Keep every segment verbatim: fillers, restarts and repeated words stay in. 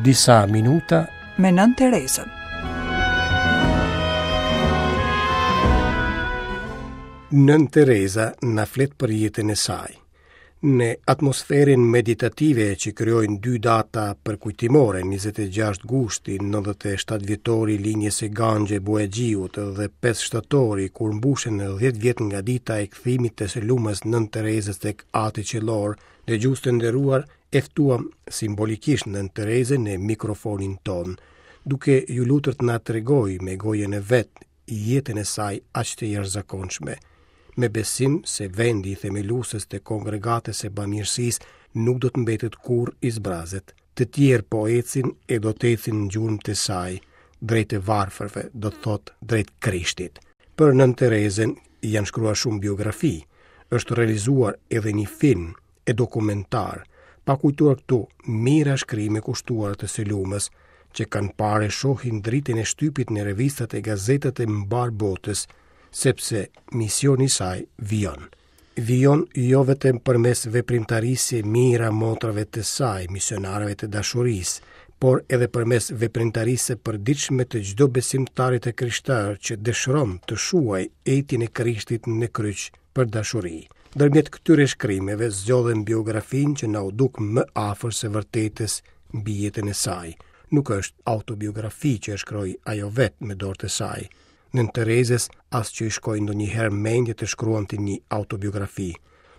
Disa minuta me Nënë Terezën. Nënë Tereza na flet për jetën e saj. Në atmosferën meditative që krijojnë dy data përkujtimore, njëzet e gjashtë gushti, nëntëdhjetë e shtatë vjetori i linjës së Ganxhe Bojaxhiut dhe pesë shtatori kur mbushen dhjetë vjet nga dita e kthimit të së lumës Nënë Terezës tek Ati Qiellor, dëgjues të nderuar, e ftuam simbolikisht Nënë Terezën në mikrofonin ton, duke ju lutur të na tregojë me gojën e vet jetën e saj aq të jashtëzakonshme, me besim se vendi i themeluesës të kongregatës së bamirësisë nuk do të mbetet kurrë i zbrazët. Të tjerë po ecin e do të ecin në gjurmë të saj, drejt të varfërve, do të thotë drejt Krishtit. Për Nënë Terezën janë shkruar shumë biografi, është realizuar edhe një film e dokumentar, pa kujtuar këtu mijëra shkrime kushtuar të së lumës, që kanë parë e shohin dritën e shtypit në revistat e gazetat e mbar botës, sepse misioni i saj vijon. Vijon jo vetëm përmes veprimtarisë së mijëra motrave të saj, misionarëve të dashurisë, por edhe përmes veprimtarisë së përditshme të çdo besimtari të krishterë që dëshiron të shuajë etjen e Krishtit në kryq për dashuri. Ndërmjet këtyre shkrimeve zgjodhen biografinë që na u duk më afër së vërtetës mbi jetën e saj. Nuk është autobiografi që e shkroi ajo vetë me dorë të saj. Nënë Terezës as që i shkoi ndonjëherë mendje të shkruante një autobiografi.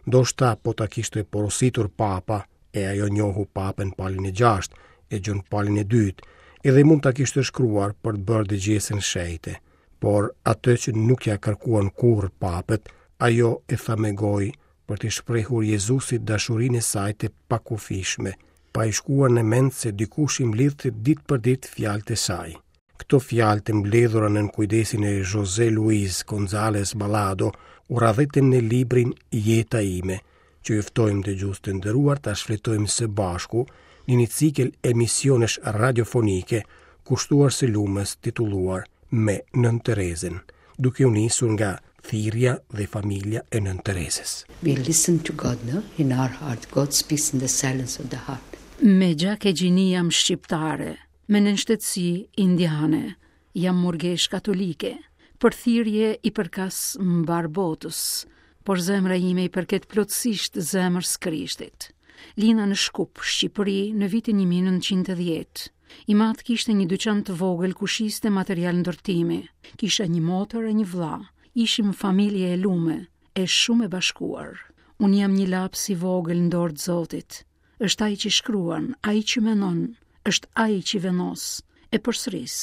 Ndoshta po ta kishte porositur papa, e ajo njohu papën Palin e gjashtë, e Gjon Palin e dytë, edhe mund ta kishte shkruar për të bërë dëgjesën shenjte. Por atë që nuk ja kërkuan kurrë papët, ajo e tha me gojë për t'i shprehur Jezusit dashurinë e saj të pakufishme, pa i shkuar në mend se dikush i mblidhte ditë për ditë fjalët e saj. Këto fjalë të mbledhura nën kujdesin e José Luis González Balado u radhitën në librin Jeta ime, që ju ftojmë dëgjues të nderuar ta shfletojmë së bashku në një cikël emisionesh radiofonike kushtuar së lumës titulluar Me Nënë Terezën, duke u nisur nga thirrja dhe familja e Nënë Terezës. We listen to God, no? In our heart. God speaks in the silence of the heart. Me gjak e gjini jam shqiptare, me nënshtetësi indiane, jam murgesh katolike, për thirrje i përkas mbar botës, por zemra ime i përket plotësisht zemrës Krishtit. Lina në Shkup, Shqipëri, në vitin një mijë e nëntëqind e dhjetë. I madh kishte një dyqan të vogël ku shiste material ndërtimi. Kisha një motër e një vlla. Ishim familje e lume, e shumë e bashkuar. Unë jam një laps i vogël në dorë të Zotit. Është ai që shkruan, ai që menon, është ai që vendos, e përsëris.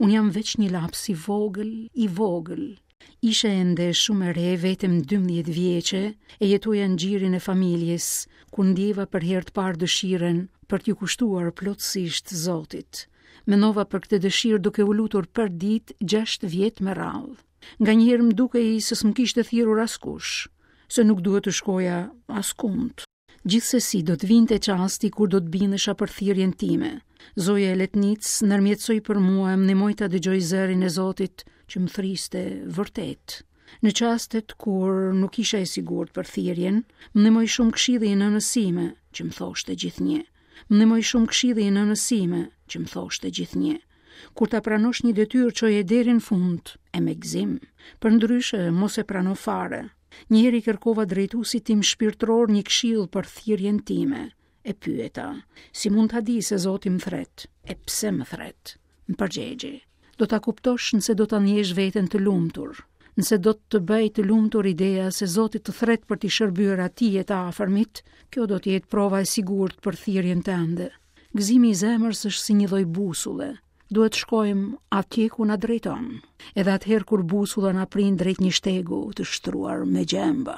Unë jam veç një laps i vogël, i vogël. Isha ende shumë e re, vetëm dymbëdhjetë vjeçe, e jetoja në gjirin e familjes, kur ndjeva për herë të parë dëshirën për t'ju kushtuar plotësisht Zotit. Menova për këtë dëshirë duke u lutur për ditë gjashtë vjet me radhë. Nganjëherë më dukej se s'më kishte thirrur askush, se nuk duhet të shkoja askund. Gjithsesi do të vinte çasti kur do të bindesha për thirrjen time. Zoja e Letnicës ndërmjetësoi për mua e më ndihmoi ta dëgjoj zërin e Zotit që më thriste vërtet. Në çastet kur nuk isha e sigurt për thirrjen, më ndihmoi shumë këshilli i nënës sime, që më thoshte gjithnjë. Më ndihmoi shumë këshilli i nënës sime, që më thoshte gjithnjë. Kur ta pranosh një detyrë, çoje deri në fund e me gëzim. Përndryshe, mos e prano fare. Një herë i kërkova drejtuesit tim shpirtëror një këshill për thirrjen time. E pyeta, si mund ta di se Zoti më thret? E pse më thret? Më përgjegji, do ta kuptosh nëse do ta ndjesh veten të lumtur, nëse do të të bëj të lumtur ideja se Zoti të thret për t'i shërbyer atij e të afërmit, kjo do të jetë prova e sigurt për thirrjen tënde. Gëzimi i zemrës është si një lloj busulle. Duhet shkojmë atje ku na drejton, edhe atëherë kur busulla na prin drejt një shtegu të shtruar me gjemba.